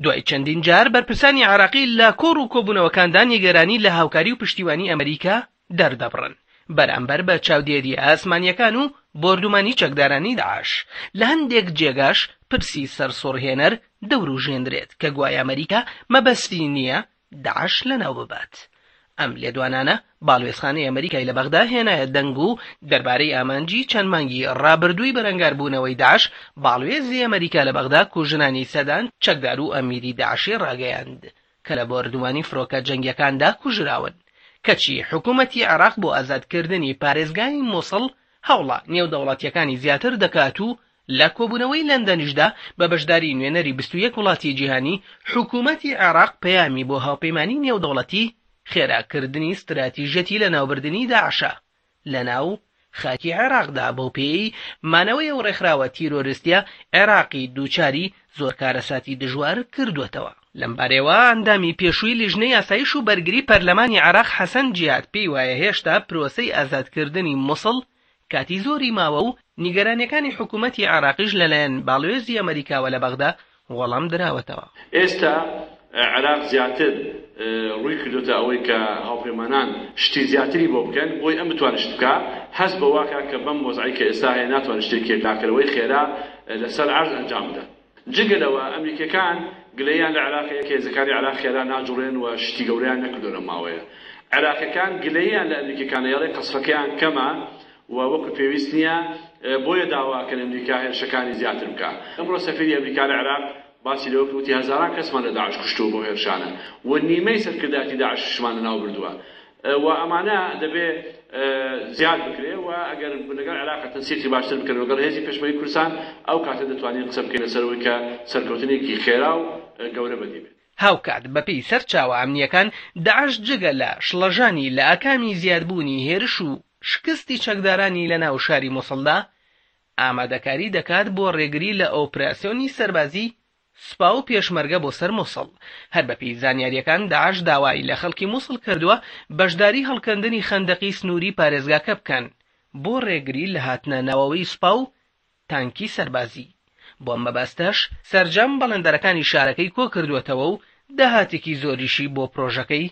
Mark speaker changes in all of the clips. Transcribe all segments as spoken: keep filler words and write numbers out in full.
Speaker 1: دوای چەندین جار بەرپرسانی عێراقی لە کۆڕ و کۆبوونەوەکاندا نیگەرانی لە هاوکاری و پشتیوانی ئەمریکا دەردەبڕن بەرامبەر بە چاودێرییە ئاسمانییەکان و بۆردومانی چەکدارانی داعش. لە هەندێک جێگاش پرسی سەرسوڕهێنەر دەوروژێنرێت کە گوایە ئەمریکا مەبەستی نییە داعش لەناو ببات. ئەم لێدوانانە باڵوێزخانەی ئەمریکای لە بەغدا هێنایە دەنگ و دەربارەی ئامانجی چەند مانگی ڕابردووی بەرەنگاربوونەوەی داعش، باڵوێزی ئەمریکا لە بەغدا کوژرانی سەدان چەکدار و ئەمیری داعشی ڕاگەیاند کە لە بۆردومانی فرۆکە جەنگیەکاندا کوژراون. کەچی حکوومەتی عێراق بۆ ئازادکردنی پارێزگای موسڵ هەوڵە نێودەوڵەتیەکانی زیاتر دەکات و لە کۆبوونەوەی لەندەنیشدا بە بەشداری نوێنەری بیست و یەک وڵاتی جیهانی، حکوومەتی عێراق پەیامی بۆ هاوپەیمانی نێودەوڵەتی خێراکردنی ستراتیژیەتی لەناوبردنی داعشە لەناو خاکی عێراقدا، بەو پێیەی مانەوەی ئەو ڕێکخراوە تیرۆریستیە عێراقی دووچاری زۆر کارەساتی دژوار کردووەتەوە. لەمبارەیەوە ئەندامی پێشووی لیژنەی ئاسایش و بەرگری پەرلەمانی عێراق حەسەن جیهاد پێی وایە هێشتا پرۆسەی ئازادکردنی موسڵ کاتی زۆری ماوە و نیگەرانیەکانی حکوومەتی عێراقیش لەلایەن باڵوێزی ئەمریکاوە لە بەغدا وەڵام دراوەتەوە.
Speaker 2: ئێستا عێراق زیاتر ڕووی کردوتە ئەوەی کە هاوپەیمانان شتی زیاتری بۆ بکەن بۆی ئەم بتوانێت شت بکا، هەست بەوە کە بەم وەزعی کە ئێستا هەیە ناتوانێت شتێکی یەکلاکەرەوەی خێرا لەسەر عەرز ئەنجام بدات. جگە لەوە ئەمریکیەکان گلەیان لە عێراق هەیە کە هێزەکانی عێراق خێرا ناجوڵێن و شتی گەورەیان نەکردووە لەم ماوەیە. عێراقیەکان گلەیان لە ئەمریکیەکان هەیە قەسفەکەیان کەمە و وەکو پێویست نییە، بۆیە داواکەن ئەمریکا هێرشەکانی زیاتر بکە. ئەمڕۆ سەفیری ئەمریکا لە عێراق باسی لەوە وتی هەزاران کەسمان لە داعش کوشتووە بۆ هێرشانە و نیمەی سەرکردایەتی داعشمان لەناو بردووە و ئەمانە دەبێ زیاد بکرێ و ئەگەر لەگەڵ عێراق تەنسیقی باشتر بکەن لەگەڵ هێزی پێشمەرگەی کوردستان ئەو کاتە دەتوانین قسە بکەین لەسەر ئەوەی کە سەرکەوتنێکی خێرا و گەورە بەدی بێت.
Speaker 1: هاوکات بەپێی سەرچاوە ئەمنیەکان داعش جگە لە شڵەژانی لە ئاکامی زیادبوونی هێرش و شکستی چەکدارانی لە ناو شاری موسڵدا ئامادەکاری دەکات بۆ ڕێگری لە ئۆپراسیۆنی سەربازی سوپا و پێشمەرگە بۆ سەر موسڵ. هەر بەپێی زانیاریەکان داعش داوای لە خەڵکی موسڵ کردووە بەشداری هەڵکەندنی خەندەقی سنووری پارێزگاکە بکەن بۆ ڕێگری لە هاتنە ناوەوەی سوپا و تانکی سەربازی. بۆ مەبەستەش سەرجەم بەڵێندەرەکانی شارەکەی کۆ کردووەتەوە و داهاتێکی زۆریشی بۆ پرۆژەکەی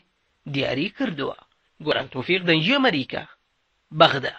Speaker 1: دیاری کردووە. گۆران تۆفیق، دەنگی ئەمریکا، بەغدا.